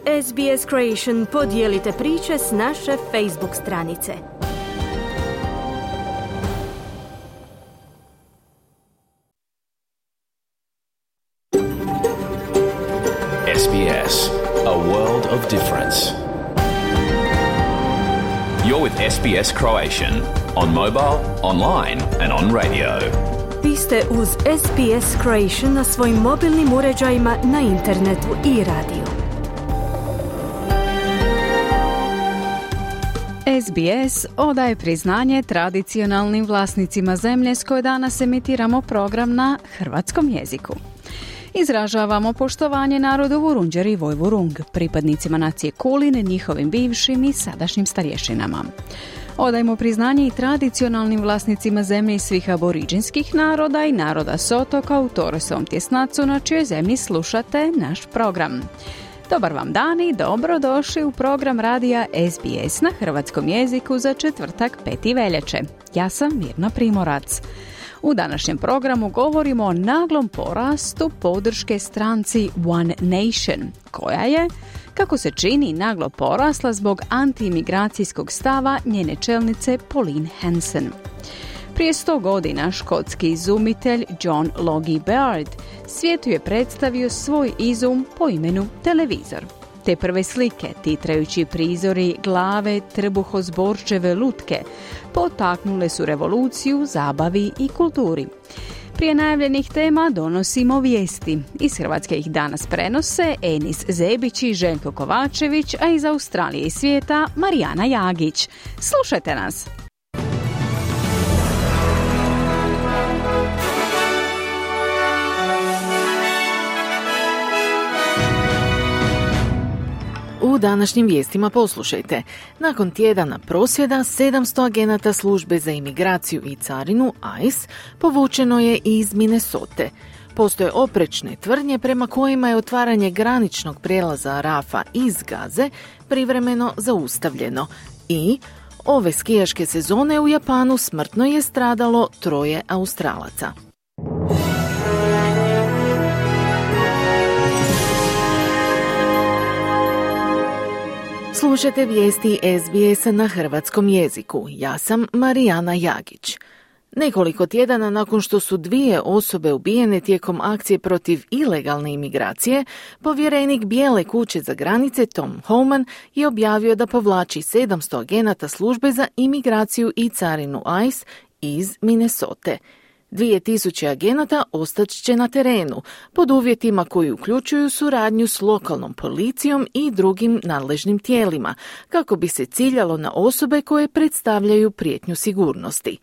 SBS Creation podijelite priče s naše Facebook stranice. SBS, a world of difference. You're with SBS Croatian on mobile, online and on radio. Vi ste uz SBS Croatian na svojim mobilnim uređajima, na internetu i radiju. SBS odaje priznanje tradicionalnim vlasnicima zemlje s koje danas emitiramo program na hrvatskom jeziku. Izražavamo poštovanje narodu Vurundjer i Vojvurung, pripadnicima nacije Kulin, njihovim bivšim i sadašnjim starješinama. Odajemo priznanje i tradicionalnim vlasnicima zemlje svih aboriđinskih naroda i naroda s otoka u Toresovom tjesnacu na čijoj zemlji slušate naš program. Dobar vam dan i dobrodošli u program radija SBS na hrvatskom jeziku za četvrtak 5. veljače. Ja sam Mirna Primorac. U današnjem programu govorimo o naglom porastu podrške stranci One Nation, koja je, kako se čini, naglo porasla zbog antiimigracijskog stava njene čelnice Pauline Hanson. Prije 100 godina škotski izumitelj John Logie Baird svijetu je predstavio svoj izum po imenu televizor. Te prve slike, titrajući prizori glave trbuhozborčeve lutke, potaknule su revoluciju, zabavi i kulturi. Prije najavljenih tema donosimo vijesti. Iz Hrvatske ih danas prenose Enis Zebić i Željko Kovačević, a iz Australije i svijeta Marijana Jagić. Slušajte nas! U današnjim vijestima poslušajte. Nakon tjedana prosvjeda, 700 agenata službe za imigraciju i carinu, ICE, povučeno je iz Minnesote. Postoje oprečne tvrdnje prema kojima je otvaranje graničnog prijelaza Rafa iz Gaze privremeno zaustavljeno. I ove skijaške sezone u Japanu smrtno je stradalo 3 Australaca. Slušajte vijesti SBS-a na hrvatskom jeziku. Ja sam Marijana Jagić. Nekoliko tjedana nakon što su 2 osobe ubijene tijekom akcije protiv ilegalne imigracije, povjerenik Bijele kuće za granice Tom Homan je objavio da povlači 700 agenata službe za imigraciju i carinu ICE iz Minnesote. 2000 agenata ostać na terenu, pod uvjetima koji uključuju suradnju s lokalnom policijom i drugim nadležnim tijelima, kako bi se ciljalo na osobe koje predstavljaju prijetnju sigurnosti.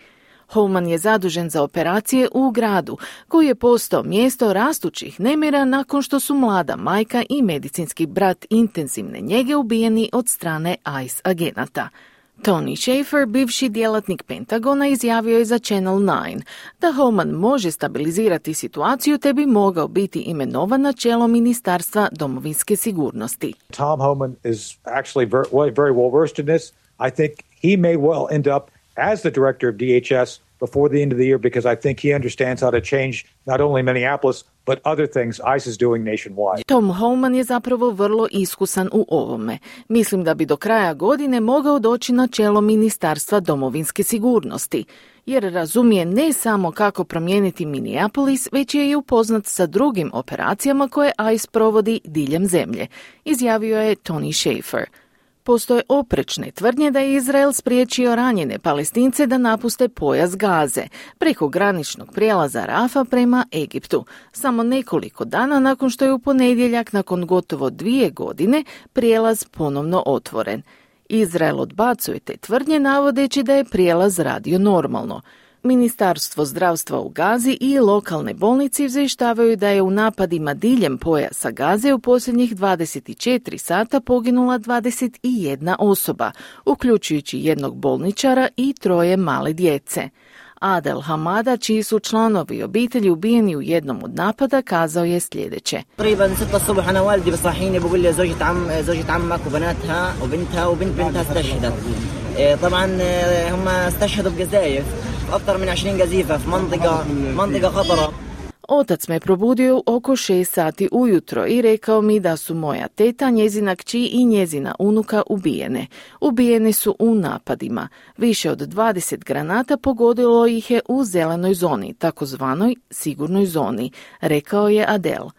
Homan je zadužen za operacije u gradu, koji je postao mjesto rastućih nemira nakon što su mlada majka i medicinski brat intenzivne njege ubijeni od strane ICE agenata. Tony Shaffer, bivši djelatnik Pentagona, izjavio je za Channel 9 da Homan može stabilizirati situaciju te bi mogao biti imenovan na čelo Ministarstva domovinske sigurnosti. Tom Homan is actually very well versed in this. I think he may well end up as the director of DHS before the end of the year because I think he understands how to change not only Minneapolis but other things ICE is doing nationwide. Tom Homan je zapravo vrlo iskusan u ovome. Mislim da bi do kraja godine mogao doći na čelo Ministarstva domovinske sigurnosti, jer razumije ne samo kako promijeniti Minneapolis, već je i upoznat sa drugim operacijama koje ICE provodi diljem zemlje, izjavio je Tony Shaffer. Postoje oprečne tvrdnje da je Izrael spriječio ranjene Palestince da napuste pojas Gaze preko graničnog prijelaza Rafa prema Egiptu, samo nekoliko dana nakon što je u ponedjeljak, nakon gotovo 2 godine, prijelaz ponovno otvoren. Izrael odbacuje te tvrdnje navodeći da je prijelaz radio normalno. Ministarstvo zdravstva u Gazi i lokalne bolnice izvještavaju da je u napadima diljem pojasa Gaze u posljednjih 24 sata poginula 21 osoba, uključujući 1 bolničara i 3 male djece. Adel Hamada, čiji su članovi obitelji ubijeni u jednom od napada, kazao je sljedeće. Otac me probudio oko 6 sati ujutro i rekao mi da su moja teta, njezina kći i njezina unuka ubijene. Ubijeni su u napadima. Više od 20 granata pogodilo ih je u zelenoj zoni, takozvanoj sigurnoj zoni, rekao je Adel.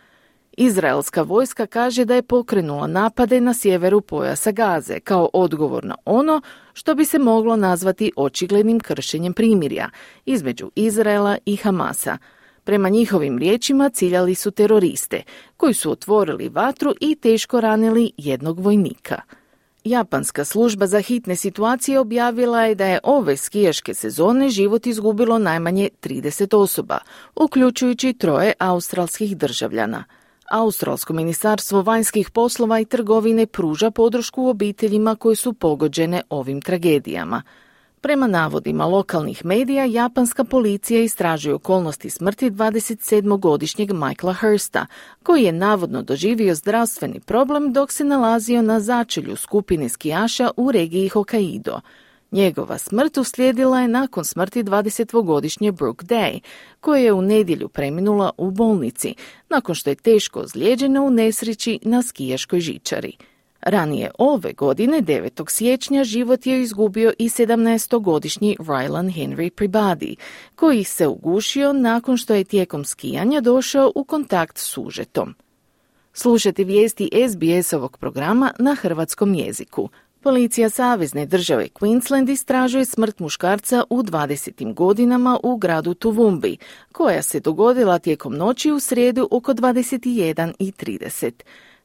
Izraelska vojska kaže da je pokrenula napade na sjeveru pojasa Gaze kao odgovor na ono što bi se moglo nazvati očiglednim kršenjem primirja između Izraela i Hamasa. Prema njihovim riječima ciljali su teroriste, koji su otvorili vatru i teško ranili jednog vojnika. Japanska služba za hitne situacije objavila je da je ove skijaške sezone život izgubilo najmanje 30 osoba, uključujući 3 australskih državljana. Australsko ministarstvo vanjskih poslova i trgovine pruža podršku obiteljima koje su pogođene ovim tragedijama. Prema navodima lokalnih medija, japanska policija istražuje okolnosti smrti 27-godišnjeg Michaela Hursta, koji je navodno doživio zdravstveni problem dok se nalazio na začelju skupine skijaša u regiji Hokkaido. Njegova smrt uslijedila je nakon smrti 20-godišnje Brooke Day, koja je u nedjelju preminula u bolnici, nakon što je teško ozlijeđena u nesreći na skijaškoj žičari. Ranije ove godine, 9. siječnja, život je izgubio i 17-godišnji Rylan Henry Peabody, koji se ugušio nakon što je tijekom skijanja došao u kontakt s užetom. Slušajte vijesti SBS-ovog programa na hrvatskom jeziku. Policija savezne države Queensland istražuje smrt muškarca u 20. godinama u gradu Toowoomba, koja se dogodila tijekom noći u srijedu oko 21:30.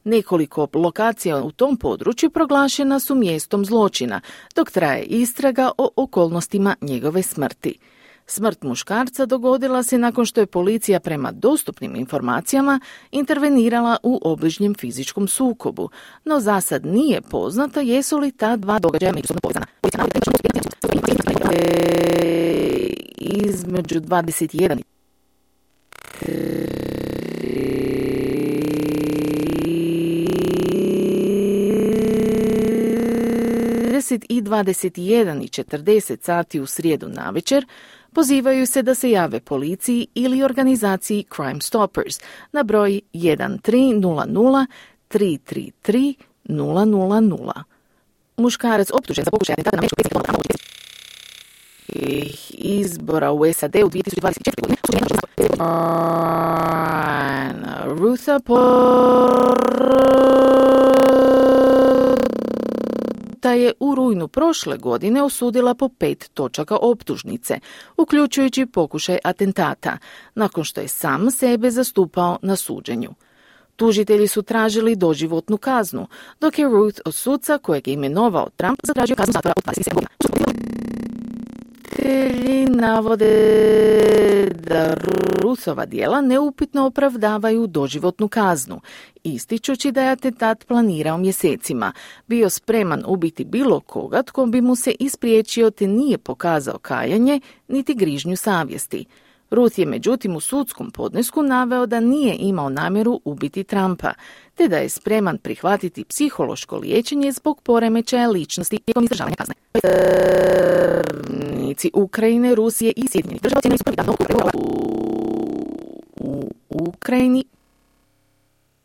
Nekoliko lokacija u tom području proglašena su mjestom zločina, dok traje istraga o okolnostima njegove smrti. Smrt muškarca dogodila se nakon što je policija prema dostupnim informacijama intervenirala u obližnjem fizičkom sukobu, no za sad nije poznato jesu li ta dva događaja međusobno povezana. Između 21 i 21:40 sati u srijedu navečer pozivaju se da se jave policiji ili organizaciji Crime Stoppers na broj 1300 333 000. Muškarac optužen za pokušaj atentata na američkog predsjednika izbora u SAD u 2024. godine Rutha je u rujnu prošle godine osudila po 5 točaka optužnice, uključujući pokušaj atentata, nakon što je sam sebe zastupao na suđenju. Tužitelji su tražili doživotnu kaznu, dok je Ruth od suca kojeg je imenovao Trump zatražio kaznu zatvora od 27 godina. Tužitelji navode da Ruthova djela neupitno opravdavaju doživotnu kaznu, ističući da je atentat planirao mjesecima, bio spreman ubiti bilo koga tko bi mu se ispriječio te nije pokazao kajanje niti grižnju savjesti. Ruth je međutim u sudskom podnesku naveo da nije imao namjeru ubiti Trumpa, te da je spreman prihvatiti psihološko liječenje zbog poremećaja ličnosti tijekom izdržavanja kazne. Predstavnici Ukrajine, Rusije i Sjedinjenih Država ocijenili su prvi dan u Ukrajini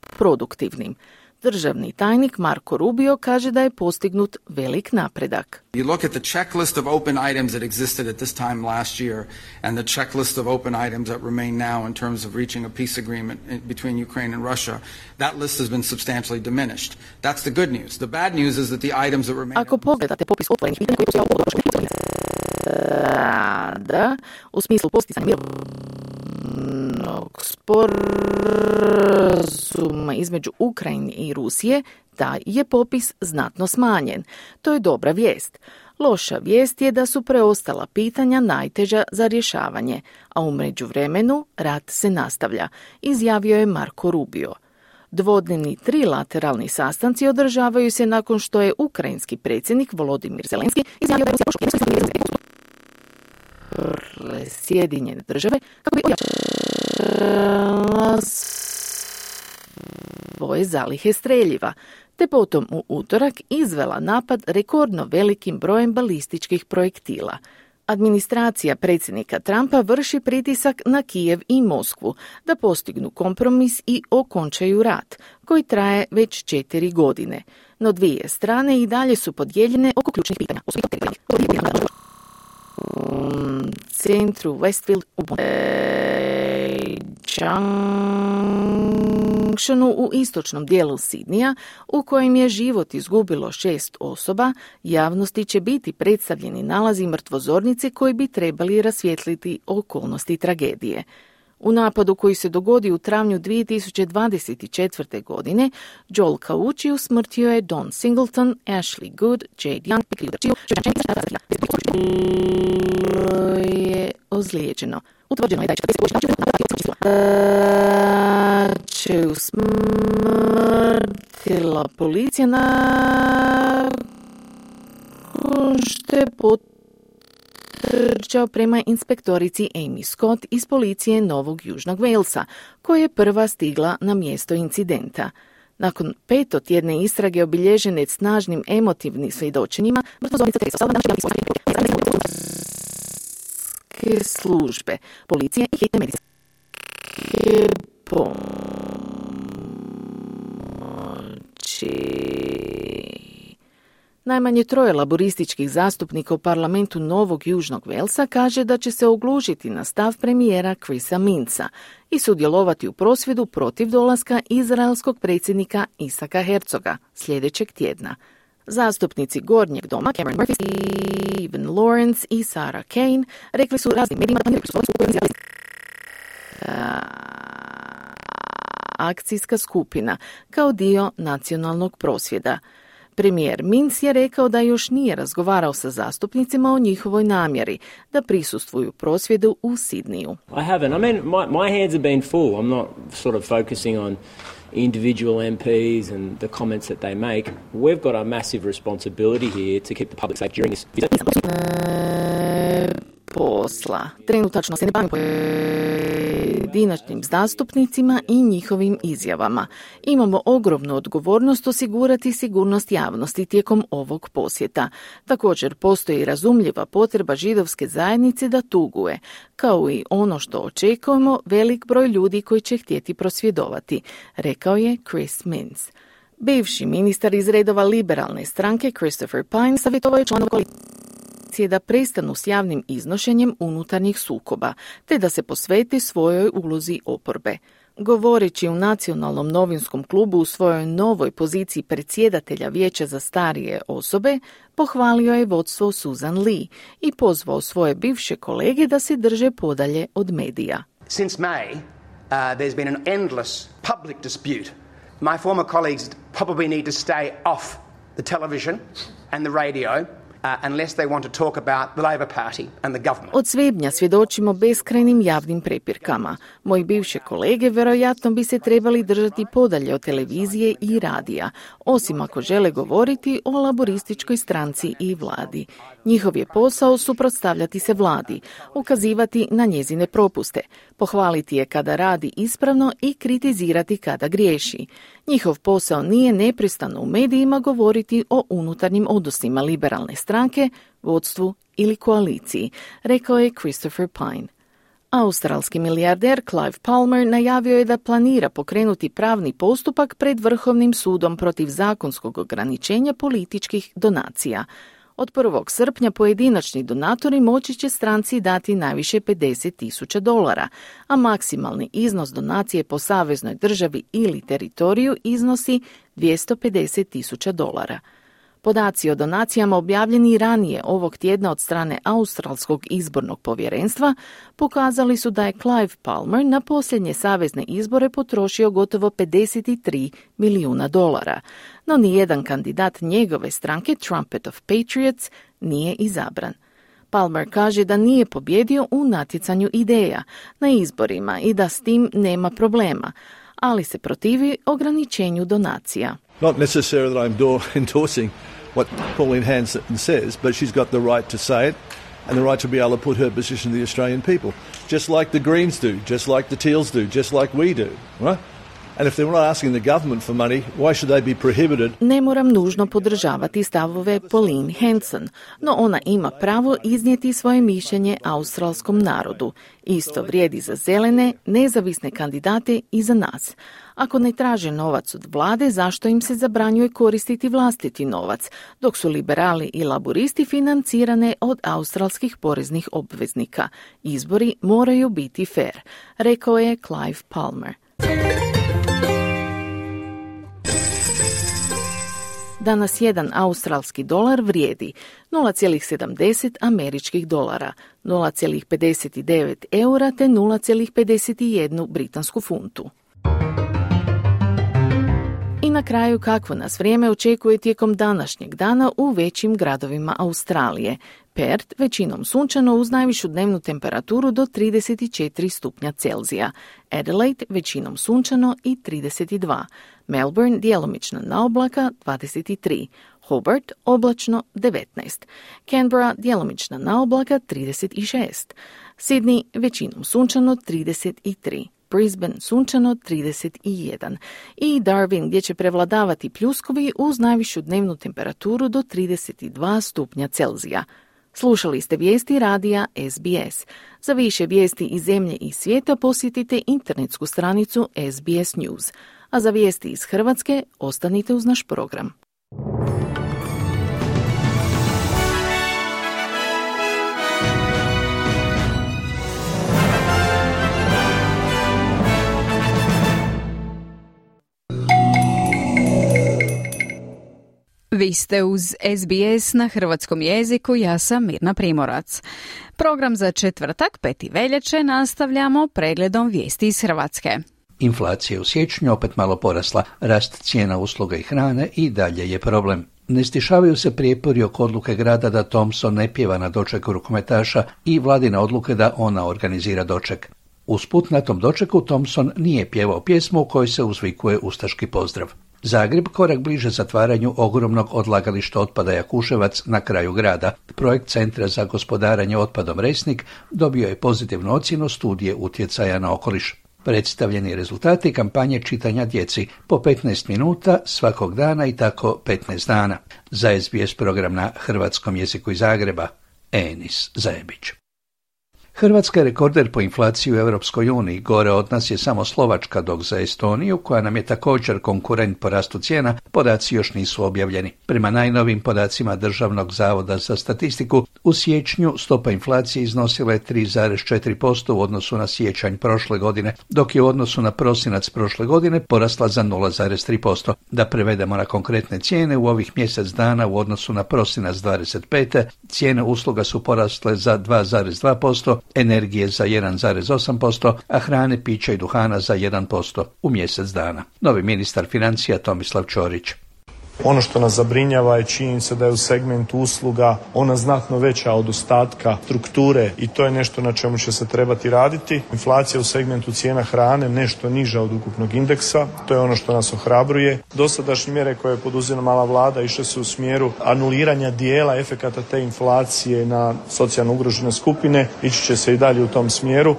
produktivnim. Državni tajnik Marko Rubio kaže da je postignut velik napredak. You look at the checklist of open items that existed at this time last year and the checklist of open items that remain now in terms of reaching a peace agreement between Ukraine and Russia, that list has been substantially diminished. That's the good news. The bad news is that the items that remain... Ako pogledate popis otvorenih pitanja koji u smislu postizanja mirovnog sporazuma između Ukrajine i Rusije, taj je popis znatno smanjen. To je dobra vijest. Loša vijest je da su preostala pitanja najteža za rješavanje, a u međuvremenu rat se nastavlja, izjavio je Marko Rubio. Dvodnevni trilateralni sastanci održavaju se nakon što je ukrajinski predsjednik Volodimir Zelenski izjavio da je Rusija pošla Sjedinjene Države kako bi ojačala svoje zalihe streljiva, te potom u utorak izvela napad rekordno velikim brojem balističkih projektila. Administracija predsjednika Trumpa vrši pritisak na Kijev i Moskvu da postignu kompromis i okončaju rat, koji traje već 4 godine. No dvije strane i dalje su podijeljene oko ključnih pitanja. U centru Westfield u Junctionu u istočnom dijelu Sidnija, u kojem je život izgubilo 6 osoba, javnosti će biti predstavljeni nalazi mrtvozornice koji bi trebali rasvijetliti okolnosti tragedije. U napadu koji se dogodio u travnju 2024. godine, Joel Caucci usmrtio je Don Singleton, Ashley Good, Jade Young, je ozlijeđeno. Utvrđeno je da će usmrtila policija nakon što je potrčao prema inspektorici Amy Scott iz policije Novog Južnog Walesa, koja je prva stigla na mjesto incidenta. Nakon 5-tjedne istrage obilježene snažnim emotivnim svjedočenjima, mrtvozornica službe, policije i hitne medicinske pomoći. Najmanje 3 laborističkih zastupnika u parlamentu Novog Južnog Walesa kaže da će se oglušiti na stav premijera Chrisa Minca i sudjelovati u prosvjedu protiv dolaska izraelskog predsjednika Isaka Herzoga sljedećeg tjedna. Zastupnici Gornjeg doma Cameron Murphy, Stephen Lawrence i Sarah Kane rekli su raznim medijima da akcijska skupina kao dio nacionalnog prosvjeda. Premijer Minc je rekao da još nije razgovarao sa zastupnicima o njihovoj namjeri da prisustvuju prosvjedu u Sidniju. I haven't. I mean, my hands have been full. I'm not sort of focusing on individual MPs and the comments that they make. We've got a massive responsibility here to keep the public safe during this visit. Posla. Trenutačno se ne bavim pojedinačnim zastupnicima i njihovim izjavama. Imamo ogromnu odgovornost osigurati sigurnost javnosti tijekom ovog posjeta. Također postoji razumljiva potreba židovske zajednice da tuguje, kao i ono što očekujemo velik broj ljudi koji će htjeti prosvjedovati, rekao je Chris Minns. Bivši ministar iz redova liberalne stranke Christopher Pine savjetovao je članova koalicije da prestanu s javnim iznošenjem unutarnjih sukoba, te da se posveti svojoj ulozi oporbe. Govoreći u Nacionalnom novinskom klubu u svojoj novoj poziciji predsjedatelja Vijeća za starije osobe, pohvalio je vodstvo Susan Lee i pozvao svoje bivše kolege da se drže podalje od medija. Since May, there's been an endless public dispute. My former colleagues probably need to stay off the television and the radio unless they want to talk about the Labor Party and the government. Od svibnja svjedočimo beskrajnim javnim prepirkama. Moji bivše kolege vjerojatno bi se trebali držati podalje od televizije i radija, osim ako žele govoriti o laborističkoj stranci i vladi. Njihov je posao suprotstavljati se vladi, ukazivati na njezine propuste, pohvaliti je kada radi ispravno i kritizirati kada griješi. Njihov posao nije neprestano u medijima govoriti o unutarnjim odnosima liberalne stranke, vodstvu ili koaliciji, rekao je Christopher Pine. Australski milijarder Clive Palmer najavio je da planira pokrenuti pravni postupak pred Vrhovnim sudom protiv zakonskog ograničenja političkih donacija. Od 1. srpnja pojedinačni donatori moći će stranci dati najviše $50,000, a maksimalni iznos donacije po saveznoj državi ili teritoriju iznosi $250,000. Podaci o donacijama objavljeni ranije ovog tjedna od strane Australskog izbornog povjerenstva pokazali su da je Clive Palmer na posljednje savezne izbore potrošio gotovo $53 milijuna, no nijedan kandidat njegove stranke Trumpet of Patriots nije izabran. Palmer kaže da nije pobjedio u natjecanju ideja na izborima i da s tim nema problema, ali se protivi ograničenju donacija. Not necessarily that I'm endorsing what Pauline Hanson says, but she's got the right to say it and the right to be able to put her position to the Australian people, just like the Greens do, just like the Teals do, just like we do, right? And if they're not asking the government for money, why should they be prohibited? Ne moram nužno podržavati stavove Pauline Hanson, no ona ima pravo iznijeti svoje mišljenje australskom narodu. Isto vrijedi za zelene, nezavisne kandidate i za nas. Ako ne traže novac od vlade, zašto im se zabranjuje koristiti vlastiti novac, dok su liberali i laburisti financirane od australskih poreznih obveznika? Izbori moraju biti fair, rekao je Clive Palmer. Danas jedan australski dolar vrijedi 0,70 američkih dolara, 0,59 eura te 0,51 britansku funtu. I na kraju, kakvo nas vrijeme očekuje tijekom današnjeg dana u većim gradovima Australije. Perth većinom sunčano uz najvišu dnevnu temperaturu do 34 stupnja Celzija. Adelaide većinom sunčano i 32. Melbourne djelomično na oblaka 23. Hobart oblačno 19. Canberra djelomično na oblaka 36. Sydney većinom sunčano 33. Brisbane sunčano 31 i Darwin gdje će prevladavati pljuskovi uz najvišu dnevnu temperaturu do 32 stupnja Celzija. Slušali ste vijesti radija SBS. Za više vijesti iz zemlje i svijeta posjetite internetsku stranicu SBS News. A za vijesti iz Hrvatske ostanite uz naš program. Vi ste uz SBS na hrvatskom jeziku, ja sam Mirna Primorac. Program za četvrtak, 5. veljače, nastavljamo pregledom vijesti iz Hrvatske. Inflacija je u siječnju opet malo porasla, rast cijena usluga i hrane i dalje je problem. Ne stišavaju se prijepori oko odluke grada da Thompson ne pjeva na dočeku rukometaša i vladine odluke da ona organizira doček. Usput na tom dočeku Thompson nije pjevao pjesmu u kojoj se uzvikuje ustaški pozdrav. Zagreb korak bliže zatvaranju ogromnog odlagališta otpada Jakuševac na kraju grada. Projekt Centra za gospodarenje otpadom Resnik dobio je pozitivnu ocjenu studije utjecaja na okoliš. Predstavljeni rezultati kampanje čitanja djeci po 15 minuta svakog dana i tako 15 dana. Za SBS program na hrvatskom jeziku iz Zagreba, Enis Zajebić. Hrvatska je rekorder po inflaciji u Europskoj uniji, gore od nas je samo Slovačka, dok za Estoniju, koja nam je također konkurent po rastu cijena, podaci još nisu objavljeni. Prema najnovim podacima Državnog zavoda za statistiku, u siječnju stopa inflacije iznosila je 3,4% u odnosu na siječanj prošle godine, dok je u odnosu na prosinac prošle godine porasla za 0,3%. Da prevedemo na konkretne cijene, u ovih mjesec dana u odnosu na prosinac 25. cijene usluga su porasle za 2,2%, energije za 1,8%, a hrane, pića i duhana za 1% u mjesec dana. Novi ministar financija Tomislav Ćorić. Ono što nas zabrinjava je činjenica da je u segmentu usluga ona znatno veća od ostatka strukture i to je nešto na čemu će se trebati raditi. Inflacija u segmentu cijena hrane nešto niža od ukupnog indeksa, to je ono što nas ohrabruje. Dosadašnje mjere koje je poduzimala vlada išle su u smjeru anuliranja dijela efekata te inflacije na socijalno ugrožene skupine, ići će se i dalje u tom smjeru.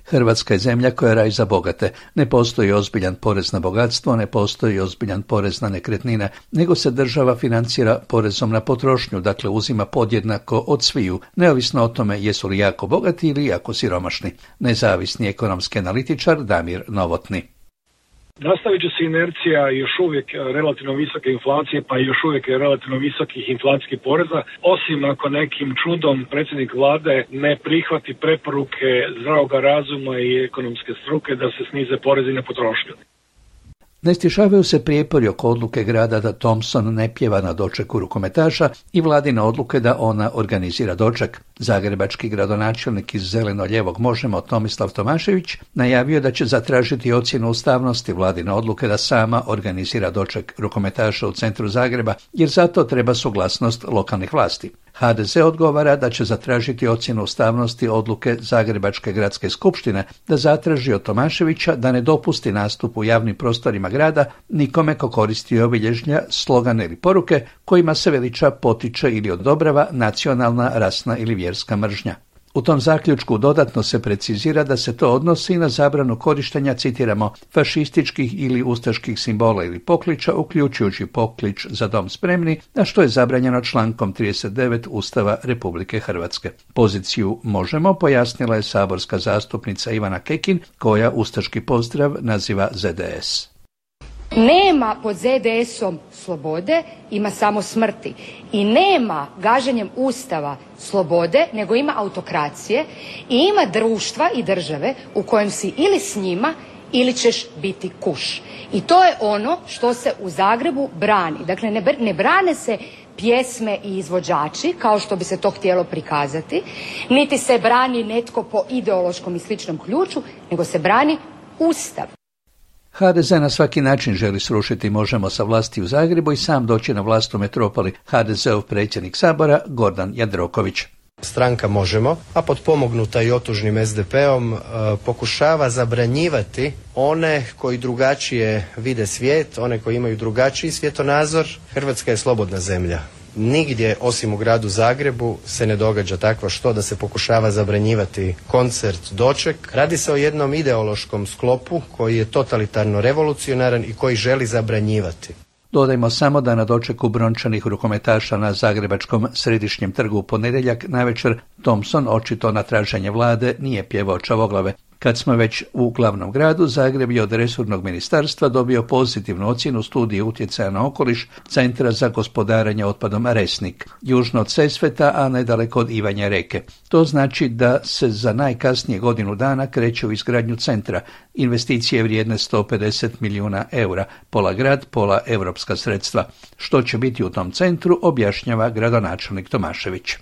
Hrvatska je zemlja koja raj za bogate. Ne postoji ozbiljan porez na bogatstvo, ne postoji ozbiljan porez na nekretnine, nego se država financira porezom na potrošnju, dakle uzima podjednako od sviju, neovisno o tome jesu li jako bogati ili jako siromašni. Nezavisni ekonomski analitičar Damir Novotni. Nastavit će se inercija još uvijek relativno visoke inflacije, pa i još uvijek relativno visokih inflacijskih poreza, osim ako nekim čudom predsjednik vlade ne prihvati preporuke zdravoga razuma i ekonomske struke da se snize porezi na potrošnju. Ne stišavaju se prijepori oko odluke grada da Thompson ne pjeva na dočeku rukometaša i vladine odluke da ona organizira doček. Zagrebački gradonačelnik iz zeleno-lijevog Možemo Tomislav Tomašević najavio da će zatražiti ocjenu ustavnosti vladine odluke da sama organizira doček rukometaša u centru Zagreba, jer za to treba suglasnost lokalnih vlasti. HDZ odgovara da će zatražiti ocjenu ustavnosti odluke Zagrebačke gradske skupštine da zatraži od Tomaševića da ne dopusti nastup u javnim prostorima grada nikome ko koristi obilježja, slogane ili poruke kojima se veliča, potiče ili odobrava nacionalna, rasna ili vjerska mržnja. U tom zaključku dodatno se precizira da se to odnosi na zabranu korištenja, citiramo, fašističkih ili ustaških simbola ili pokliča, uključujući poklič Za dom spremni, a što je zabranjeno člankom 39 Ustava Republike Hrvatske. Poziciju Možemo pojasnila je saborska zastupnica Ivana Kekin, koja ustaški pozdrav naziva ZDS. Nema pod ZDS-om slobode, ima samo smrti. I nema gaženjem Ustava slobode, nego ima autokracije i ima društva i države u kojem si ili s njima ili ćeš biti kuš. I to je ono što se u Zagrebu brani. Dakle, ne brane se pjesme i izvođači, kao što bi se to htjelo prikazati, niti se brani netko po ideološkom i sličnom ključu, nego se brani Ustav. HDZ na svaki način želi srušiti Možemo sa vlasti u Zagrebu i sam doći na vlast u metropoli. HDZ-ov predsjednik Sabora Gordan Jandroković. Stranka Možemo, a potpomognuta i otužnim SDP-om, pokušava zabranjivati one koji drugačije vide svijet, one koji imaju drugačiji svjetonazor. Hrvatska je slobodna zemlja. Nigdje osim u gradu Zagrebu se ne događa takvo što da se pokušava zabranjivati koncert Doček. Radi se o jednom ideološkom sklopu koji je totalitarno revolucionaran i koji želi zabranjivati. Dodajmo samo da na dočeku brončanih rukometaša na Zagrebačkom središnjem trgu u ponedjeljak navečer Thompson, očito na traženje vlade, nije pjevao Čavoglave. Kad smo već u glavnom gradu, Zagreb je od resornog ministarstva dobio pozitivnu ocjenu studije utjecaja na okoliš Centra za gospodarenje otpadom Resnik, južno od Sesveta, a nedaleko od Ivanje Reke. To znači da se za najkasnije godinu dana kreće u izgradnju centra. Investicije vrijedne 150 milijuna eura, pola grad, pola europska sredstva. Što će biti u tom centru, objašnjava gradonačelnik Tomašević.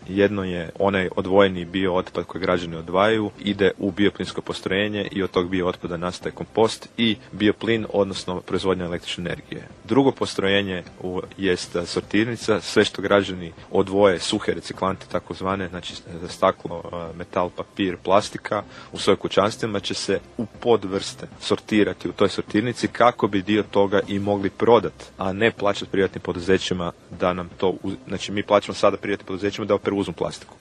Jedno je onaj odvojeni biootpad koji građani odvajaju, ide u bioplinsko postrojenje i od tog biootpada nastaje kompost i bioplin, odnosno proizvodnja električne energije. Drugo postrojenje jest sortirnica, sve što građani odvoje, suhe reciklante takozvane, znači staklo, metal, papir, plastika, u svojim kućanstvima će se u podvrste sortirati u toj sortirnici kako bi dio toga i mogli prodati, a ne plaćati privatnim poduzećima da nam to, znači mi plaćamo sada privatnim poduzećima da preuzmu plastiku.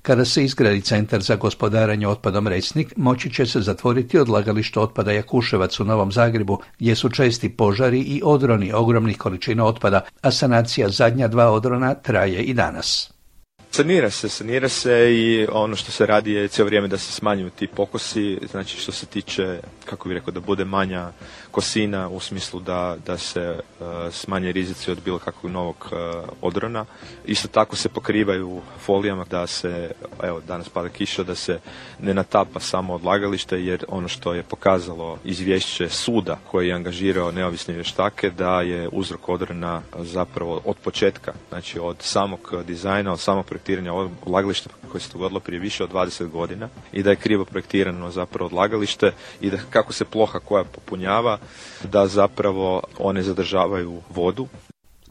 Kada se izgradi centar za gospodarenje otpadom Resnik, moći će se zatvoriti odlagalište otpada Jakuševac u Novom Zagrebu, gdje su česti požari i odroni ogromnih količina otpada, a sanacija zadnja 2 odrona traje i danas. Sanira se i ono što se radi je cijelo vrijeme da se smanjuju ti pokosi, znači što se tiče, kako bih rekao, da bude manja kosina u smislu da se smanje rizici od bilo kakvog novog odrona. Isto tako se pokrivaju folijama da se, evo danas pada kiša, da se ne natapa samo odlagalište, jer ono što je pokazalo izvješće suda koji je angažirao neovisne vještake da je uzrok odrona zapravo od početka, znači od samog dizajna, od samog projektiranja odlagališta koje se dogodilo prije više od 20 godina i da je krivo projektirano zapravo odlagalište i da kako se ploha koja popunjava, da zapravo one zadržavaju vodu.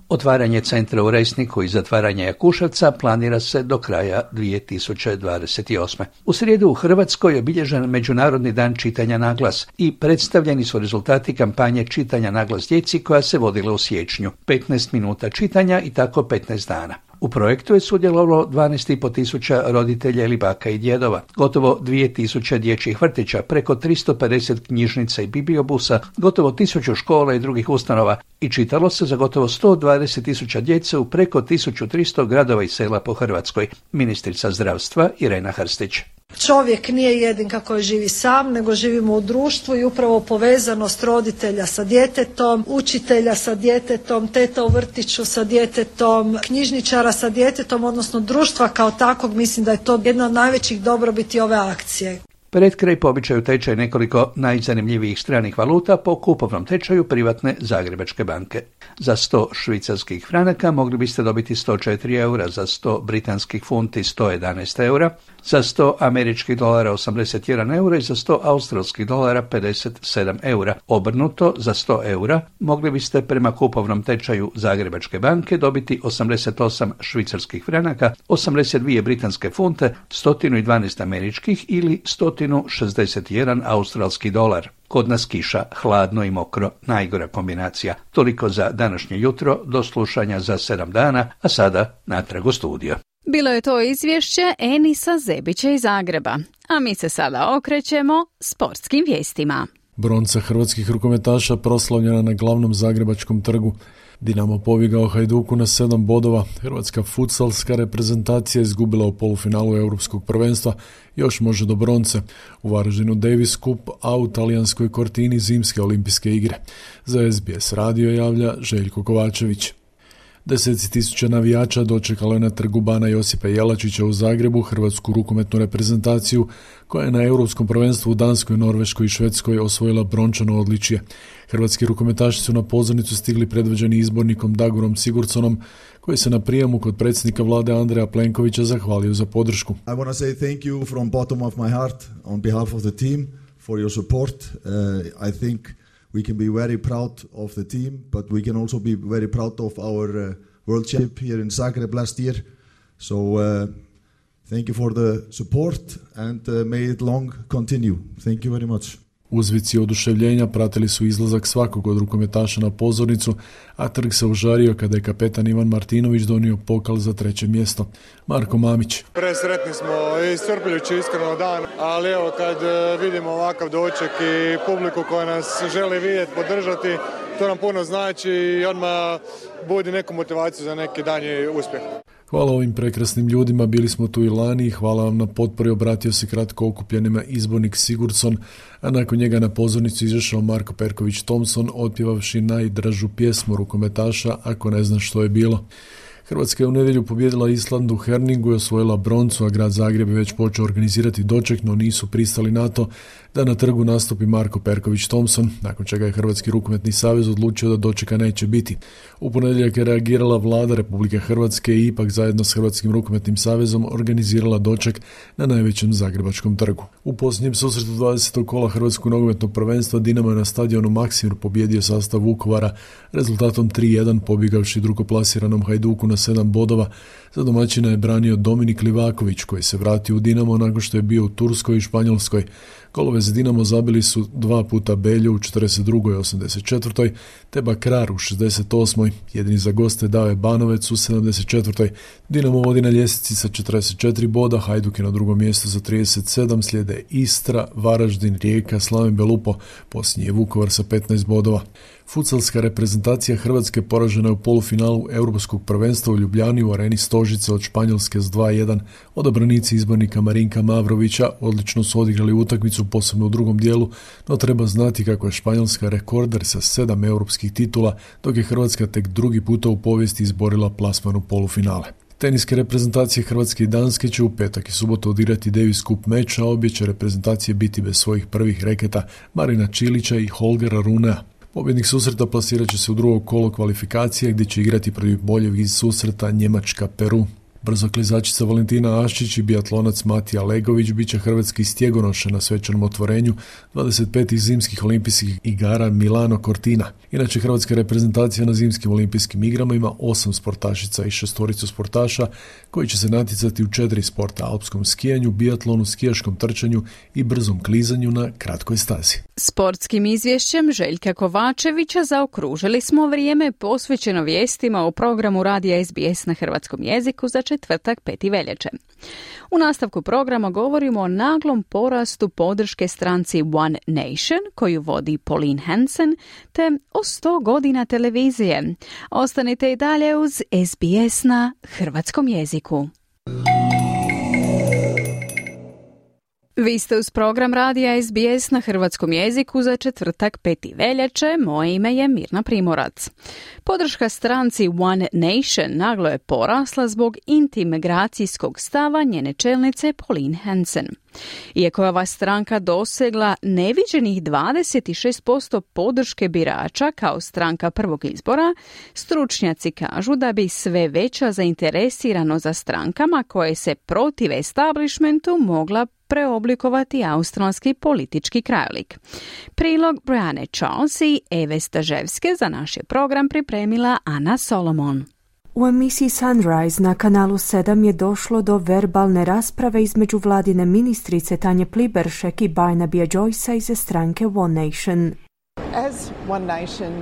Otvaranje centra u Resniku i zatvaranje Jakuševca planira se do kraja 2028. U srijedu u Hrvatskoj je obilježen Međunarodni dan čitanja na glas i predstavljeni su rezultati kampanje čitanja na glas djeci koja se vodila u siječnju. 15 minuta čitanja i tako 15 dana. U projektu je sudjelovalo 12.500 roditelja ili baka i djedova, gotovo 2.000 dječjih vrtića, preko 350 knjižnica i bibliobusa, gotovo 1000 škola i drugih ustanova i čitalo se za gotovo 120.000 djece u preko 1300 gradova i sela po Hrvatskoj. Ministrica zdravstva Irena Hrstić. Čovjek nije jedinka koji živi sam, nego živimo u društvu i upravo povezanost roditelja sa djetetom, učitelja sa djetetom, teta u vrtiću sa djetetom, knjižničara sa djetetom, odnosno društva kao takvog, mislim da je to jedna od najvećih dobrobiti ove akcije. Pred kraj po običaju tečaj nekoliko najzanimljivijih stranih valuta po kupovnom tečaju privatne Zagrebačke banke. Za 100 švicarskih franaka mogli biste dobiti 104 eura, za 100 britanskih funti 111 eura, za 100 američkih dolara 81 eura i za 100 australskih dolara 57 eura. Obrnuto, za 100 eura mogli biste prema kupovnom tečaju Zagrebačke banke dobiti 88 švicarskih franaka, 82 britanske funte, 112 američkih ili 161 australski dolar. Kod nas kiša, hladno i mokro, najgora kombinacija. Toliko za današnje jutro, do slušanja za 7 dana, a sada natrag u studio. Bilo je to izvješće Enisa Zebića iz Zagreba, a mi se sada okrećemo sportskim vijestima. Bronca hrvatskih rukometaša proslavljena na glavnom zagrebačkom trgu. Dinamo pobjegao Hajduku na 7 bodova. Hrvatska futsalska reprezentacija izgubila u polufinalu Europskog prvenstva, još može do bronce. U Varaždinu Davis Cup, a u talijanskoj Cortini zimske olimpijske igre. Za SBS radio javlja Željko Kovačević. 10.000 navijača dočekalo je na trgu Bana Josipa Jelačića u Zagrebu hrvatsku rukometnu reprezentaciju koja je na Europskom prvenstvu u Danskoj, Norveškoj i Švedskoj osvojila brončano odličje. Hrvatski rukometaši su na pozornicu stigli predvođeni izbornikom Dagorom Sigurdsonom, koji se na prijemu kod predsjednika vlade Andreja Plenkovića zahvalio za podršku. I want to say thank you from bottom of my heart on behalf of the team for your support. I think we can be very proud of the team, but we can also be very proud of our world championship here in Zagreb last year. So thank you for the support and may it long continue. Thank you very much. Uzvici oduševljenja pratili su izlazak svakog od rukometaša na pozornicu, a trg se užario kada je kapetan Ivan Martinović donio pokal za 3. mjesto. Marko Mamić. Presretni smo i iscrpljujući iskreno dan, ali evo kad vidimo ovakav doček i publiku koja nas želi vidjeti, podržati, to nam puno znači i odmah budi neku motivaciju za neki danji uspjeh. Hvala ovim prekrasnim ljudima, bili smo tu i lani i hvala vam na potpori, obratio se kratko okupljenima izbornik Sigurdson, a nakon njega na pozornicu izašao Marko Perković Thompson, otpjevavši najdražu pjesmu rukometaša, Ako ne znaš što je bilo. Hrvatska je u nedjelju pobijedila Island u Herningu i osvojila broncu, a grad Zagreb je već počeo organizirati doček, no nisu pristali na to da na trgu nastupi Marko Perković Thompson, nakon čega je Hrvatski rukometni savez odlučio da dočeka neće biti. U ponedjeljak je reagirala vlada Republike Hrvatske i ipak zajedno s Hrvatskim rukometnim savezom organizirala doček na najvećem zagrebačkom trgu. U posljednjem susretu 20. kola Hrvatskog nogometnog prvenstva Dinamo je na stadionu Maksimir pobjedio sastav Vukovara rezultatom 3-1, pobjegavši drugoplasiranom Hajduku na 7 bodova. Za domaćina je branio Dominik Livaković, koji se vratio u Dinamo nakon što je bio u Turskoj i Španjolskoj. Golove za Dinamo zabili su 2 puta Beljo u 42. i 84. te Bakrar u 68. Jedini za goste dao je Banovec u 74. Dinamo vodi na ljestvici sa 44 boda, Hajduk je na drugom mjestu za 37, slijede Istra, Varaždin, Rijeka, Slaven Belupo, posljednji je Vukovar sa 15 bodova. Futsalska reprezentacija Hrvatske poražena je u polufinalu Europskog prvenstva u Ljubljani u areni Stožice od Španjolske s 2-1. Odabranici izbornika Marinka Mavrovića odlično su odigrali utakmicu, posebno u drugom dijelu, no treba znati kako je Španjolska rekorder sa 7 europskih titula, dok je Hrvatska tek drugi puta u povijesti izborila plasman u polufinale. Teniske reprezentacije Hrvatske i Danske će u petak i subotu odigrati Davis Cup meč, a obje će reprezentacije biti bez svojih prvih reketa Marina Čilića i Holgera Runea. Pobjednik susreta plasirat će se u drugo kolo kvalifikacije gdje će igrati protiv boljeg iz susreta Njemačka-Peru. Brzoklizačica Valentina Aščić i biatlonac Matija Legović bit će hrvatski stjegonoše na svečanom otvorenju 25. zimskih olimpijskih igara Milano Cortina. Inače, hrvatska reprezentacija na zimskim olimpijskim igrama ima 8 sportašica i 6 sportaša koji će se natjecati u 4 sporta: alpskom skijanju, biatlonu, skijaškom trčanju i brzom klizanju na kratkoj stazi. Sportskim izvješćem Željka Kovačevića zaokružili smo vrijeme posvećeno vijestima u programu radija SBS na hrvatskom jeziku za četvrtak 5. veljače. U nastavku programa govorimo o naglom porastu podrške stranci One Nation, koju vodi Pauline Hanson, te o 100 godina televizije. Ostanite i dalje uz SBS na hrvatskom jeziku. Vi ste uz program radija SBS na hrvatskom jeziku za četvrtak 5. veljače. Moje ime je Mirna Primorac. Podrška stranci One Nation naglo je porasla zbog intimigracijskog stava njene čelnice Pauline Hanson. Iako je ova stranka dosegla neviđenih 26% podrške birača kao stranka prvog izbora, stručnjaci kažu da bi sve veća zainteresiranost za strankama koje se protive establishmentu mogla preoblikovati australski politički krajolik. Prilog Brianne Charles i Eve Staževske za naš je program pripremila Ana Solomon. U emisiji Sunrise na kanalu 7 je došlo do verbalne rasprave između vladine ministrice Tanje Pliberšek i Barnabya Joycea iz stranke One Nation. As One Nation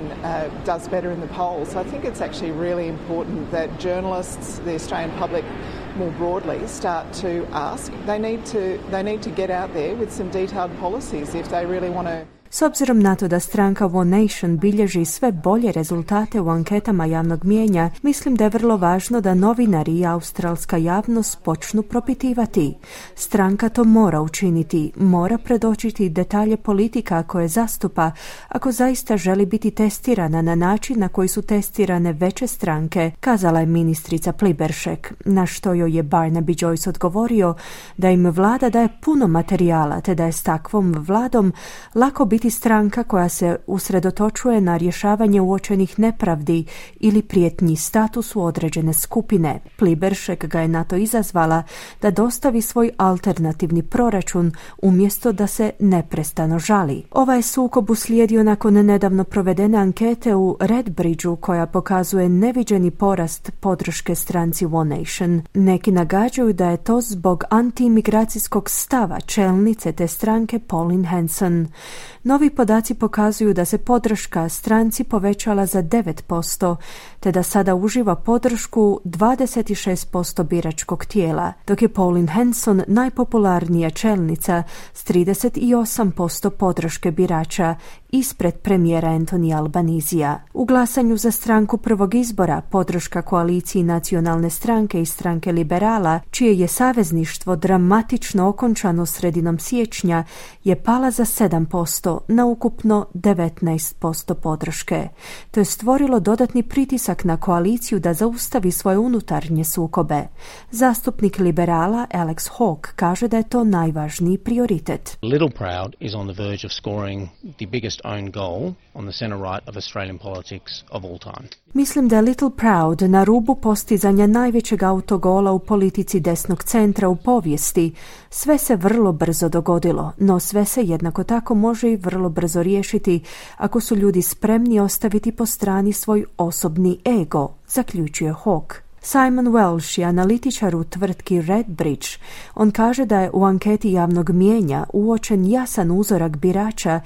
does better in the polls, I think it's actually really important that journalists, the Australian public more broadly, start to ask. They need to get out there with some detailed policies if they really want to. S obzirom na to da stranka One Nation bilježi sve bolje rezultate u anketama javnog mijenja, mislim da je vrlo važno da novinari i australska javnost počnu propitivati. Stranka to mora učiniti, mora predočiti detalje politika koje zastupa ako zaista želi biti testirana na način na koji su testirane veće stranke, kazala je ministrica Pliberšek, na što joj je Barnaby Joyce odgovorio da im vlada daje puno materijala te da je s takvom vladom lako biti stranka koja se usredotočuje na rješavanje uočenih nepravdi ili prijetnji statusu određene skupine. Pliberšek ga je na to izazvala da dostavi svoj alternativni proračun umjesto da se neprestano žali. Ovaj sukob uslijedio nakon nedavno provedene ankete u Redbridgeu koja pokazuje neviđeni porast podrške stranci One Nation. Neki nagađaju da je to zbog antiimigracijskog stava čelnice te stranke Pauline Hanson. Novi podaci pokazuju da se podrška stranci povećala za 9%, te da sada uživa podršku 26% biračkog tijela, dok je Pauline Hanson najpopularnija čelnica s 38% podrške birača ispred premijera Anthony Albanizija. U glasanju za stranku prvog izbora podrška koaliciji Nacionalne stranke i stranke liberala, čije je savezništvo dramatično okončano sredinom siječnja, je pala za 7% na ukupno 19% podrške. To je stvorilo dodatni pritisak na koaliciju da zaustavi svoje unutarnje sukobe. Zastupnik liberala Alex Hawke kaže da je to najvažniji prioritet. Littleproud is on the verge of scoring the biggest own goal on the center right of Australian politics of all time. Mislim da je Littleproud na rubu postizanja najvećeg autogola u politici desnog centra u povijesti. Sve se vrlo brzo dogodilo, no sve se jednako tako može i vrlo brzo riješiti ako su ljudi spremni ostaviti po strani svoj osobni ego, zaključuje Hawke. Simon Welsh je analitičar u tvrtki Redbridge. On kaže da je u anketi javnog mijenja uočen jasan uzorak birača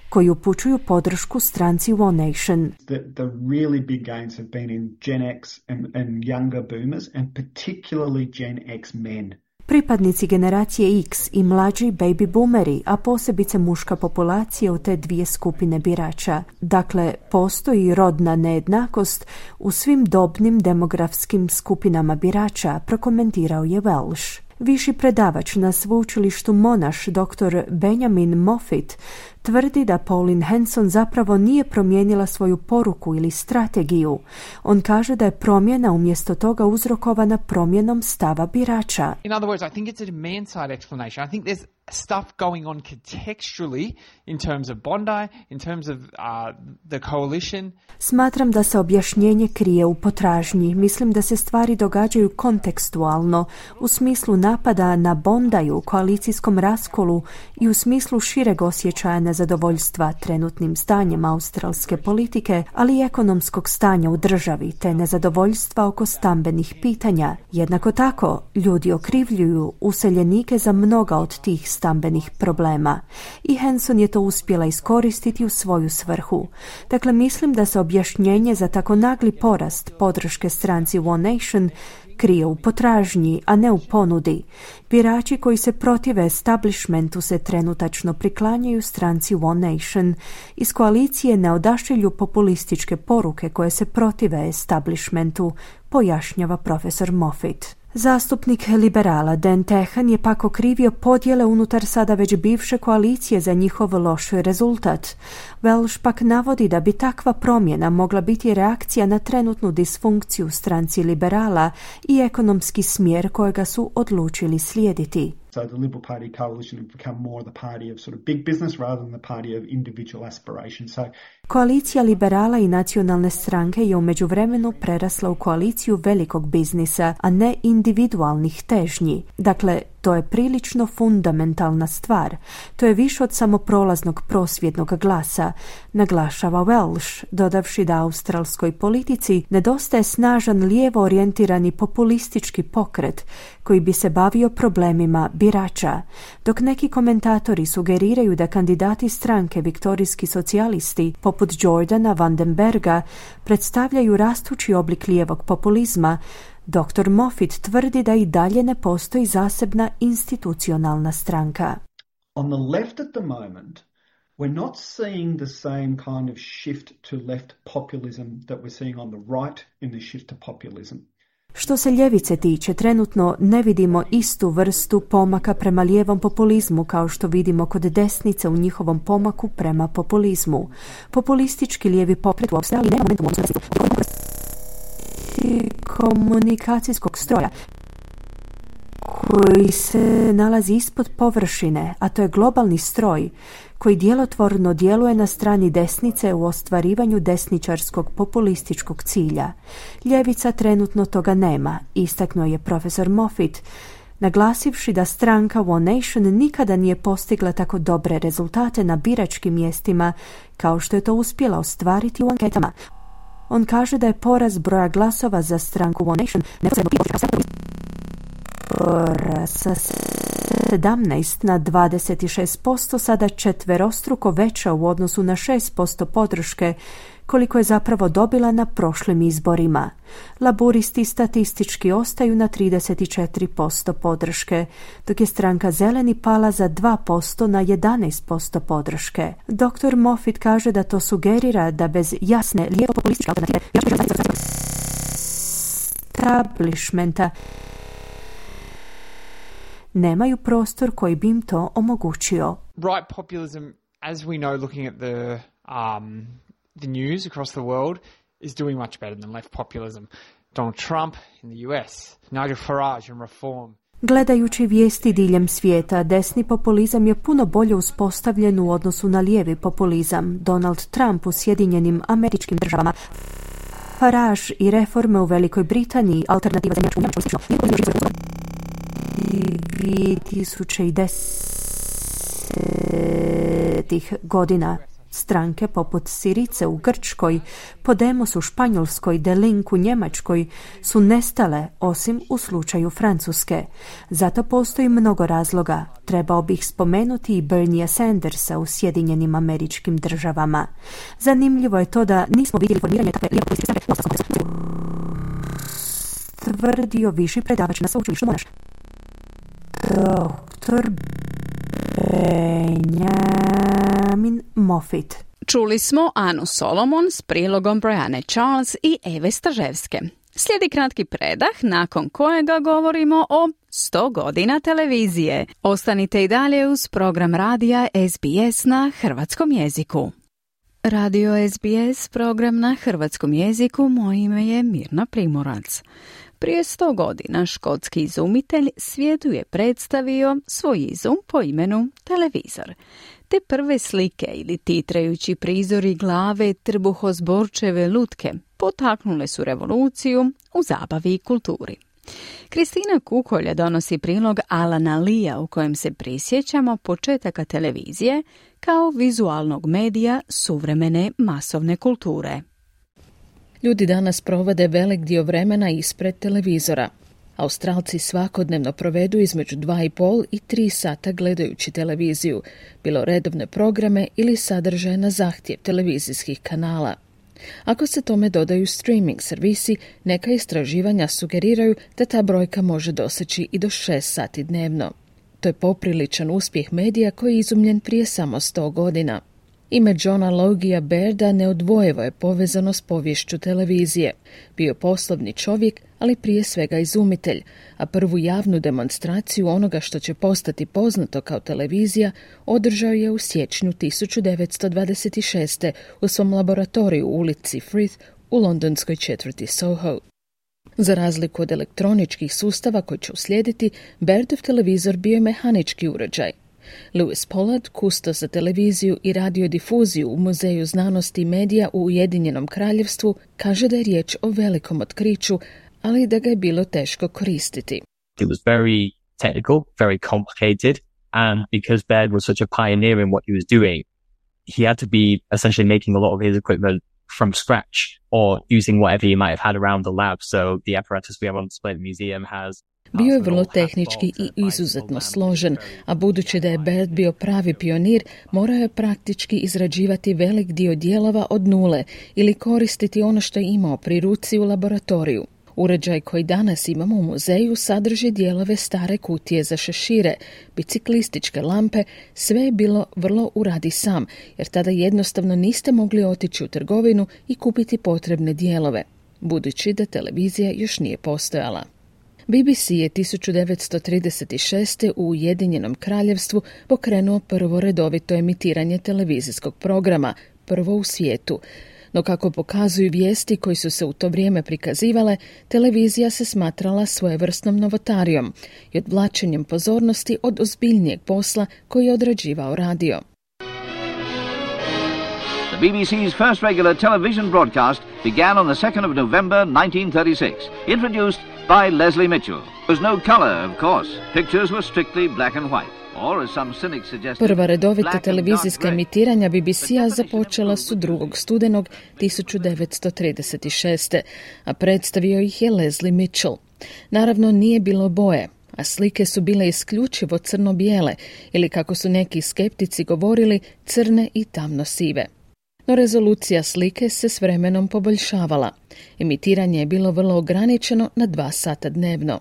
koji upućuju podršku stranci One Nation. The really big gains have been in Gen X and younger boomers and particularly Gen X men. Pripadnici generacije X i mlađi baby boomeri, a posebice muška populacija u te dvije skupine birača. Dakle, postoji rodna nejednakost u svim dobnim demografskim skupinama birača, prokomentirao je Welsh. Viši predavač na sveučilištu Monash, dr. Benjamin Moffitt, tvrdi da Pauline Hanson zapravo nije promijenila svoju poruku ili strategiju. On kaže da je promjena umjesto toga uzrokovana promjenom stava birača. In other words, I think it's a demand-side explanation. I think there's stuff going on contextually in terms of Bondi, in terms of the coalition. Smatram da se objašnjenje krije u potražnji. Mislim da se stvari događaju kontekstualno, u smislu napada na Bondiju, koalicijskom raskolu i u smislu šireg osjećaja nezadovoljstva trenutnim stanjem australske politike, ali i ekonomskog stanja u državi, te nezadovoljstva oko stambenih pitanja. Jednako tako, ljudi okrivljuju useljenike za mnoga od tih stambenih problema. I Hanson je to uspjela iskoristiti u svoju svrhu. Dakle, mislim da se objašnjenje za tako nagli porast podrške stranci One Nation krije u potražnji, a ne u ponudi. Birači koji se protive establishmentu se trenutačno priklanjaju stranci One Nation. Iz koalicije ne odašilju populističke poruke koje se protive establishmentu, pojašnjava profesor Moffitt. Zastupnik liberala Dan Tehan je pak okrivio podjele unutar sada već bivše koalicije za njihov loš rezultat. Welsh pak navodi da bi takva promjena mogla biti reakcija na trenutnu disfunkciju stranci liberala i ekonomski smjer kojega su odlučili slijediti. So the Liberal Party coalition have become more the party of sort of big business rather than the party of individual aspiration. So Koalicija liberala i nacionalne stranke je u međuvremenu prerasla u koaliciju velikog biznisa, a ne individualnih težnji. Dakle, to je prilično fundamentalna stvar. To je više od samo prolaznog prosvjednog glasa, naglašava Welsh, dodavši da australskoj politici nedostaje snažan lijevo orijentirani populistički pokret koji bi se bavio problemima birača, dok neki komentatori sugeriraju da kandidati stranke Viktorijski socijalisti poput Jordana Vandenberga predstavljaju rastući oblik lijevog populizma. Dr. Moffitt tvrdi da i dalje ne postoji zasebna institucionalna stranka. On the left at the moment, we're not seeing the same kind of shift to left populism that we're seeing on the right in the shift to populism. Što se ljevice tiče, trenutno ne vidimo istu vrstu pomaka prema lijevom populizmu kao što vidimo kod desnice u njihovom pomaku prema populizmu. Populistički lijevi pokret u Australiji nema momentum komunikacijskog stroja koji se nalazi ispod površine, a to je globalni stroj koji djelotvorno djeluje na strani desnice u ostvarivanju desničarskog populističkog cilja. Ljevica trenutno toga nema, istaknuo je profesor Moffitt, naglasivši da stranka One Nation nikada nije postigla tako dobre rezultate na biračkim mjestima kao što je to uspjela ostvariti u anketama. On kaže da je porast broja glasova za stranku One Nation sa 17 na 26% sada četverostruko veća u odnosu na 6% podrške koliko je zapravo dobila na prošlim izborima. Laburisti statistički ostaju na 34% podrške, dok je stranka Zeleni pala za 2% na 11% podrške. Dr. Moffitt kaže da to sugerira da bez jasne lijevo-populističke alternative establishmenta nemaju prostor koji bi im to omogućio. Right populism, as we know looking at the news across the world, is doing much better than left populism. Donald Trump in the US, Nigel Farage in Reform. Gledajući vijesti diljem svijeta, desni populizam je puno bolje uspostavljen u odnosu na lijevi populizam. Donald Trump u Sjedinjenim Američkim Državama, Farage i reforme u Velikoj Britaniji, alternativa za Njemačku, 2010. godina. Stranke poput Sirice u Grčkoj, Podemos u Španjolskoj, De Link u Njemačkoj su nestale, osim u slučaju Francuske. Zato postoji mnogo razloga. Trebao bih spomenuti i Berniea Sandersa u Sjedinjenim Američkim Državama. Zanimljivo je to da nismo vidjeli formiranje takve lijevo političke stranke. Tvrdio viši predavač na sveučilištu Monash, Dr. Benjamin Moffitt. Čuli smo Anu Solomon s prilogom Brianne Charles i Eve Staževske. Slijedi kratki predah nakon kojega govorimo o 100 godina televizije. Ostanite i dalje uz program radija SBS na hrvatskom jeziku. Radio SBS, program na hrvatskom jeziku, moje ime je Mirna Primorac. Prije 100 godina škotski izumitelj svijetu je predstavio svoj izum po imenu televizor. Te prve slike ili titrajući prizori glave trbuhozborčeve lutke potaknule su revoluciju u zabavi i kulturi. Kristina Kukolja donosi prilog Alana Leea u kojem se prisjećamo početaka televizije kao vizualnog medija suvremene masovne kulture. Ljudi danas provode velik dio vremena ispred televizora. Australci svakodnevno provedu između 2,5 i 3 sata gledajući televiziju, bilo redovne programe ili sadržaje na zahtjev televizijskih kanala. Ako se tome dodaju streaming servisi, neka istraživanja sugeriraju da ta brojka može doseći i do 6 sati dnevno. To je popriličan uspjeh medija koji je izumljen prije samo 100 godina. Ime Johna Logia Bairda neodvojivo je povezano s poviješću televizije. Bio poslovni čovjek, ali prije svega izumitelj, a prvu javnu demonstraciju onoga što će postati poznato kao televizija održao je u siječnju 1926. u svom laboratoriju u ulici Frith u londonskoj četvrti Soho. Za razliku od elektroničkih sustava koji će uslijediti, Bairdov televizor bio je mehanički uređaj. Lewis Pollard, kustos za televiziju i radiodifuziju u Muzeju znanosti i medija u Ujedinjenom kraljevstvu, kaže da je riječ o velikom otkriću, ali da ga je bilo teško koristiti. It was very technical, very complicated, and because Baird was such a pioneer in what he was doing, he had to be essentially making a lot of his equipment from scratch or using whatever he might have had around the lab. So the apparatus we have on display at the museum has Bio je vrlo tehnički i izuzetno složen, a budući da je Baird bio pravi pionir, morao je praktički izrađivati velik dio dijelova od nule ili koristiti ono što je imao pri ruci u laboratoriju. Uređaj koji danas imamo u muzeju sadrži dijelove stare kutije za šešire, biciklističke lampe, sve je bilo vrlo uradi sam, jer tada jednostavno niste mogli otići u trgovinu i kupiti potrebne dijelove, budući da televizija još nije postojala. BBC je 1936. u Ujedinjenom kraljevstvu pokrenuo prvo redovito emitiranje televizijskog programa, prvo u svijetu. No kako pokazuju vijesti koji su se u to vrijeme prikazivale, televizija se smatrala svojevrsnom novotarijom i odvlačenjem pozornosti od ozbiljnijeg posla koji je odrađivao radio. The BBC's first regular television broadcast began on the 2nd of November 1936, introduced by Leslie Mitchell. There was no color, of course. Pictures were strictly black and white. Prva redovita televizijska emitiranja BBC-a započela su 2. studenog 1936. a predstavio ih je Leslie Mitchell. Naravno nije bilo boje, a slike su bile isključivo crno-bijele ili kako su neki skeptici govorili crne i tamno-sive. No rezolucija slike se s vremenom poboljšavala. Emitiranje je bilo vrlo ograničeno na 2 sata dnevno.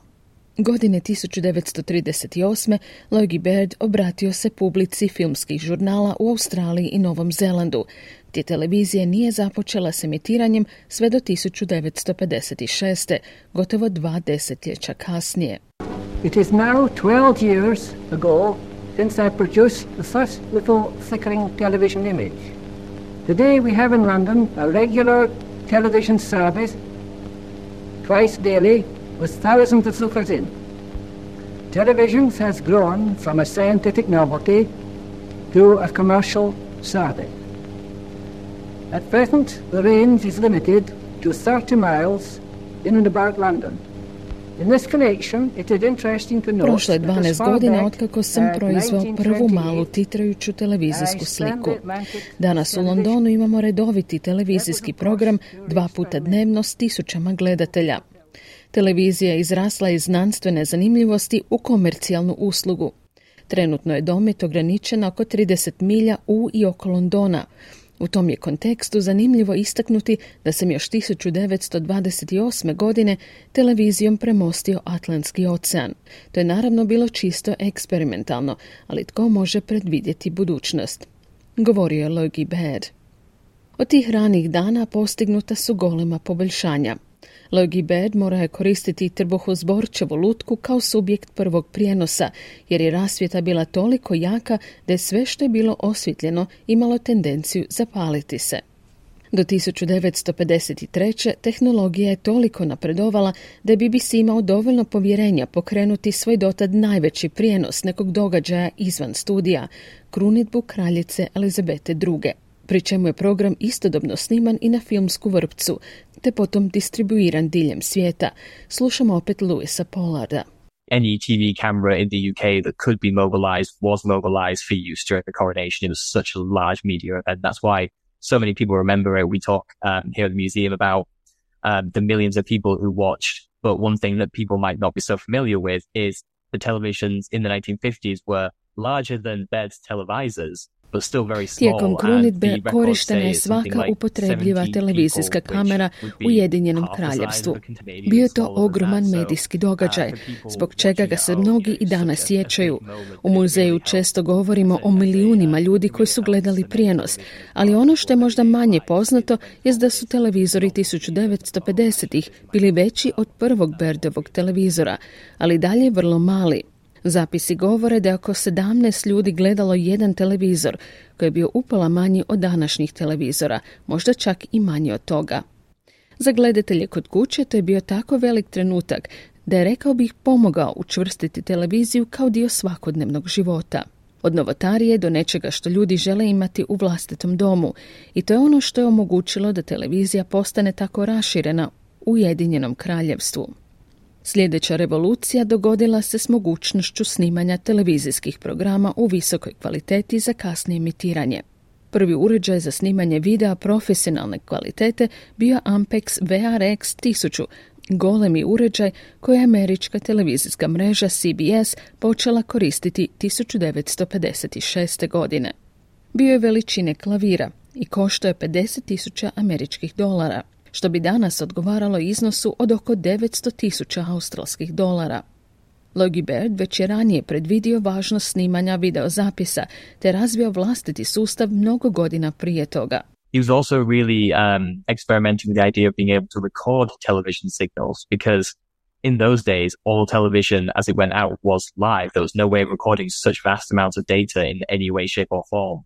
Godine 1938. Logie Baird obratio se publici filmskih žurnala u Australiji i Novom Zelandu, gdje televizija nije započela s emitiranjem sve do 1956. gotovo 2 desetljeća kasnije. It is now 12 years ago since I produced the first little flickering television image. Today we have in London a regular television service twice daily with thousands of lookers in. Television has grown from a scientific novelty to a commercial service. At present, the range is limited to 30 miles in and about London. In this connection, it is interesting to note Prošlo je 12 godina otkako sam proizveo prvu malu titrajuću televizijsku sliku. Danas u Londonu imamo redoviti televizijski program 2 puta dnevno s 1000 gledatelja. Televizija je izrasla iz znanstvene zanimljivosti u komercijalnu uslugu. Trenutno je domet ograničen oko 30 milja u i oko Londona. U tom je kontekstu zanimljivo istaknuti da sam još 1928. godine televizijom premostio Atlantski ocean. To je naravno bilo čisto eksperimentalno, ali tko može predvidjeti budućnost? Govorio je Logie Baird. Od tih ranih dana postignuta su golema poboljšanja. Logie Baird mora je koristiti trbuhozborčevu lutku kao subjekt prvog prijenosa, jer je rasvjeta bila toliko jaka da je sve što je bilo osvjetljeno imalo tendenciju zapaliti se. Do 1953. tehnologija je toliko napredovala da je BBC imao dovoljno povjerenja pokrenuti svoj dotad najveći prijenos nekog događaja izvan studija, krunidbu kraljice Elizabete II. Pri čemu je program istodobno sniman i na filmsku vrpcu, te potom distribuiran diljem svijeta. Slušamo opet Lewisa Pollarda. Any TV camera in the UK that could be mobilized was mobilized for use during the coronation. It was such a large media event. That's why so many people remember it. We talk here at the museum about the millions of people who watched. But one thing that people might not be so familiar with is the televisions in the 1950s were larger than Baird's televisors. Tijekom krunidbe korištena je svaka upotrebljiva televizijska kamera u Ujedinjenom kraljevstvu. Bio je to ogroman medijski događaj, zbog čega ga se mnogi i danas sjećaju. U muzeju često govorimo o milijunima ljudi koji su gledali prijenos, ali ono što je možda manje poznato je da su televizori 1950-ih bili veći od prvog Bairdovog televizora, ali dalje vrlo mali. Zapisi govore da je oko 17 ljudi gledalo jedan televizor, koji je bio upola manji od današnjih televizora, možda čak i manji od toga. Za gledatelje kod kuće to je bio tako velik trenutak da je, rekao bih, pomogao učvrstiti televiziju kao dio svakodnevnog života. Od novotarije do nečega što ljudi žele imati u vlastitom domu. I to je ono što je omogućilo da televizija postane tako raširena u Ujedinjenom Kraljevstvu. Sljedeća revolucija dogodila se s mogućnošću snimanja televizijskih programa u visokoj kvaliteti za kasnije emitiranje. Prvi uređaj za snimanje videa profesionalne kvalitete bio Ampex VRX 1000, golemi uređaj koji je američka televizijska mreža CBS počela koristiti 1956. godine. Bio je veličine klavira i koštao je $50,000 američkih dolara, što bi danas odgovaralo iznosu od oko $900,000 australskih dolara. Logie Baird već je ranije predvidio važnost snimanja videozapisa te razvio vlastiti sustav mnogo godina prije toga. He was also really experimenting with the idea of being able to record television signals because in those days, all television as it went out was live. There was no way of recording such vast amounts of data in any way, shape or form.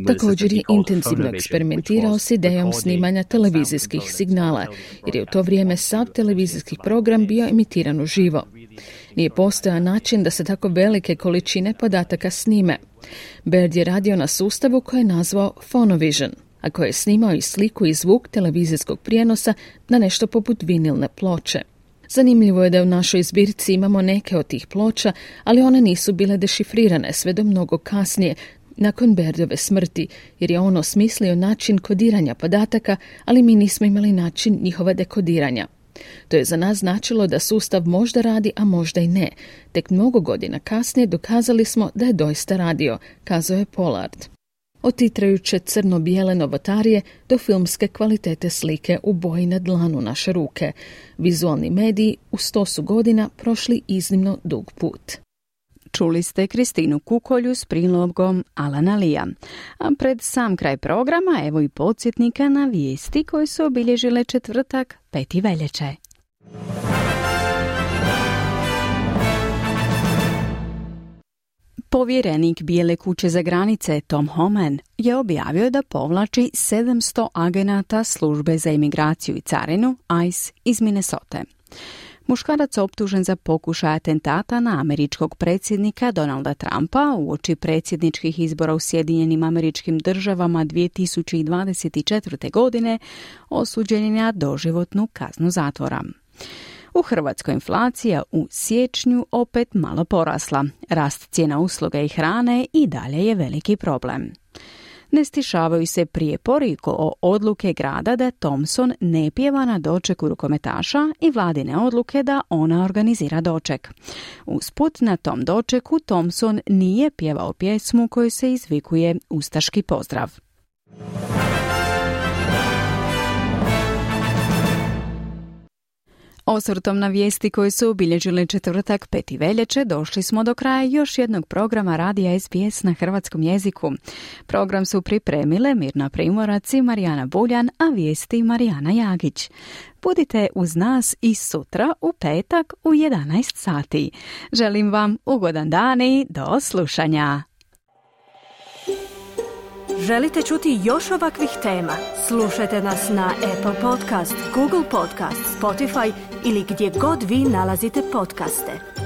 Također je intenzivno eksperimentirao s idejom snimanja televizijskih signala, jer je u to vrijeme sav televizijski program bio emitiran uživo. Nije postojao način da se tako velike količine podataka snime. Baird je radio na sustavu koji je nazvao Phonovision, a koji je snimao i sliku i zvuk televizijskog prijenosa na nešto poput vinilne ploče. Zanimljivo je da u našoj zbirci imamo neke od tih ploča, ali one nisu bile dešifrirane sve do mnogo kasnije, nakon Bairdove smrti, jer je on osmislio način kodiranja podataka, ali mi nismo imali način njihova dekodiranja. To je za nas značilo da sustav možda radi, a možda i ne. Tek mnogo godina kasnije dokazali smo da je doista radio, kazao je Pollard. Od titrajuće crno-bijele novotarije do filmske kvalitete slike u boji na dlanu naše ruke. Vizualni mediji u 100 su godina prošli iznimno dug put. Čuli ste Kristinu Kukolju s prilogom Alana Lija. A pred sam kraj programa evo i podsjetnika na vijesti koje su obilježile četvrtak 5. veljače. Povjerenik Bijele kuće za granice Tom Homan je objavio da povlači 700 agenata službe za imigraciju i carinu ICE iz Minnesote. Muškarac optužen za pokušaj atentata na američkog predsjednika Donalda Trumpa uoči predsjedničkih izbora u Sjedinjenim Američkim Državama 2024. godine osuđen je na doživotnu kaznu zatvora. U Hrvatskoj inflacija u siječnju opet malo porasla. Rast cijena usluga i hrane i dalje je veliki problem. Ne stišavaju se prijepori oko odluke grada da Thompson ne pjeva na dočeku rukometaša i vladine odluke da ona organizira doček. Usput na tom dočeku Thompson nije pjevao pjesmu koju se izvikuje ustaški pozdrav. Osvrtom na vijesti koje su obilježile četvrtak 5. veljače došli smo do kraja još jednog programa radija SBS na hrvatskom jeziku. Program su pripremile Mirna Primorac i Marijana Buljan, a vijesti Marijana Jagić. Budite uz nas i sutra u petak u 11 sati. Želim vam ugodan dan i do slušanja. Želite čuti još ovakvih tema? Slušajte nas na Apple Podcast, Google Podcast, Spotify ili gdje god vi nalazite podcaste.